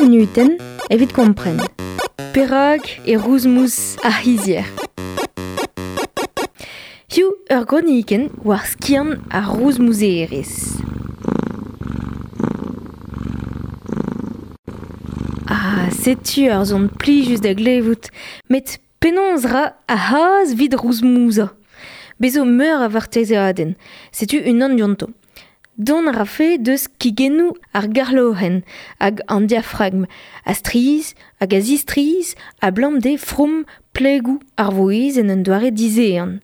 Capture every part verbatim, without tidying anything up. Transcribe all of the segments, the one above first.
munutenn evit kompren. Perak e rouzmouz ar c'hizier. Hiziv ur gronikenn war skiant ar rouzmouzerezh. Ah, setu ur son plijus da glevout, met penaos ra ar c'hazh 'vit rouzmouzañ. Bez zo meur a vartezeadenn, setu unan dionto. Dont a rafe deus kigennoù ar garlorenn hag an diafragm, a strizh hag a zistrizh abalamour d'e from plegoù ar vouezh en un doare dizehan.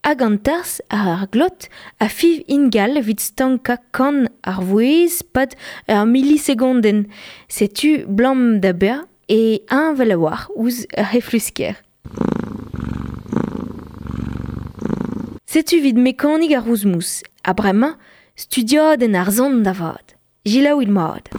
Hag an tarzh ar glot a fiñv ingal evit stankañ kan ar vouezh pad ur milisegondenn. Setu 'blam da bezañ e heñvel a-walc'h ouzh ur c'heflusker. Setu evit mekanik ar rouzmouz. Ha bremañ, studiadenn ar son da vat. Selaouit mat.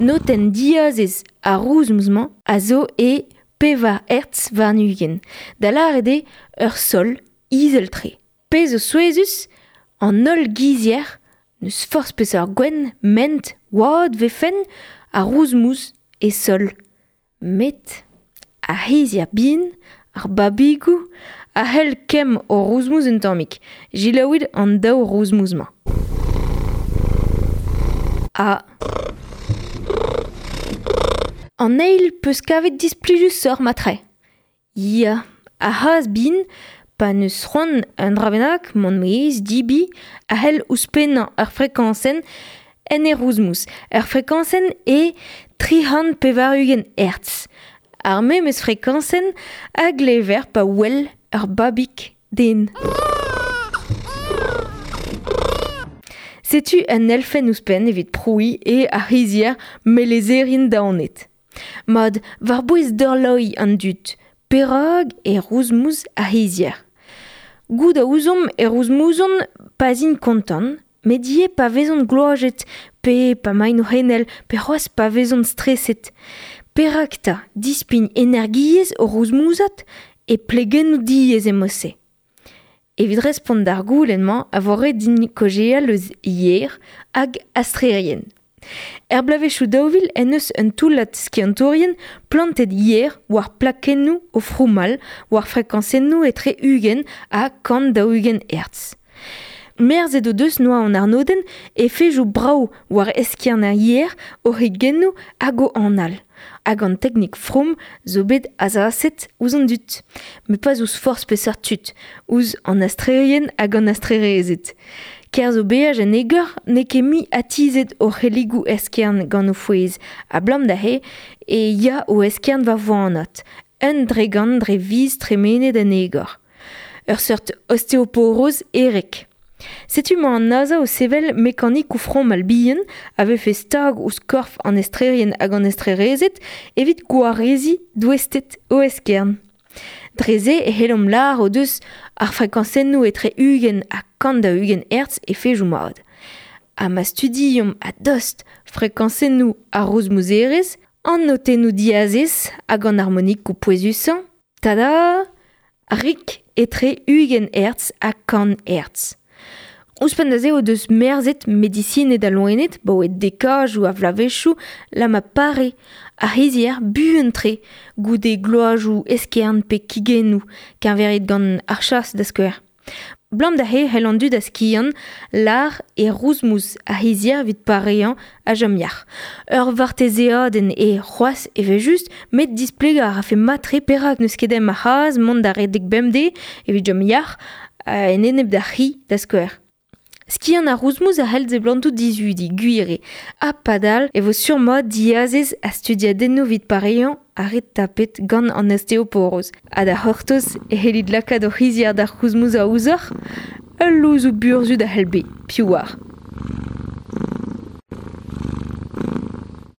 Notenn diazez ar rouzmouz-mañ a zo e pevar hertz warn-ugent, da lâret eo ur sol izel-tre. Pezh zo souezhus, an holl gizier, n'eus forzh peseurt gwenn, ment, oad 'vefen, ar rouzmouz e sol. Met ar c'hizier bihan, ar babigoù, a c'hell kemm o rouzmouz un tammig. Selaouit an daou rouzmouz-mañ. Ha an eil peus kavet displijusoc'h matre. Ya, ar c'hazh bihan, pa neus c'hoant un dra bennak, mont maez, dibi, a c'hell ouzhpennañ ur frekañsenn en e rouzmouz. Ur frekañsenn e tri c'hant pevar-ugent hertz. Ar memes frekañsenn a glever pa wel ur babig den. Setu un elfenn ouzhpenn evit prouiñ eo ar c'hizier melezerien daonet. Mat, war-bouez dorloiñ an dud, perak e rouzmouz ar c'hizier. Goût a ouzomp e rouzmouzont pa 'z int kontant, met ivez pa vezont gloazet, pe pa 'maint o c'henel, pe c'hoazh pa vezont streset. Perak 'ta dispign energiezh o rouzmouzat e plegennoù diaes e-mod-se. Evit respont d'ar goulenn-mañ a vo ret din kaozeal eus yer hag astrerien. Er bloavezhioù daou vil en deus un toullad skiantourien plantet yer war plakennoù o froumal war frekañsennoù etre ugent ha kant daou-ugent hertz. Merzet o deus noa an arnodenn efedoù brav war eskern ar yer, o c'higennoù hag o anal. Hag an teknik from zo bet azaset ouzh an dud. Met pas ouzh forzh peseurt tud, ouzh an astrerien hag an astrerezed. Kerzh o beaj en egor n'eo ket mui atizet o c'helligoù eskern gant o fouez, abalamour da se e ya o eskern war voanat, un dregant dre viz tremenet en egor. Ur seurt osteoporoz erek. Setu 'mañ an NASA o sevel mekanikoù fromal bihan a vefe stag ouzh korf an estrerien hag an estrerezed evit gwareziñ douested o eskern. Dre se e c'hellomp lâr o deus ar frekañsennoù etre ugent ha kant daou-ugent hertz efedoù mat. Ha ma studiomp a-dost frekañsennoù ar rouzmouzerezh, an notennoù diazez hag an harmonikoù pouezusañ, tada, rik etre ugent hertz ha kant hertz. Ouzhpenn da se o deus merzet medisined ha loened, 'baoe dekajoù a vloavezhioù, la ma pare ar c'hizier buan-tre goude gloazoù eskern pe kigennoù, keñveriet gant ar chas da skouer. 'Blam da se c'hell an dud a skiant lâr e rouzmouz ar c'hizier evit pareañ ha chom yac'h. Ur vartezeadenn eo c'hoazh evel-just, met displegañ a rafe mat-tre perak n'eus ket ezhomm ar c'hazh mont da redek bemdez evit chom yac'h en enep d'ar c'hi da skouer. Skiant ar rouzmouz a c'hell seblantout dizudi, gwir eo. Ha padal e vo sur-mat diazez ha studiadennoù evit pareañ ar re tapet gant an osteoporoz. Ha da c'hortoz e c'hellit lakaat hoc'h c'hizier da rouzmouzañ ouzhoc'h, ul louzoù burzhud a c'hell bezañ, piv 'oar.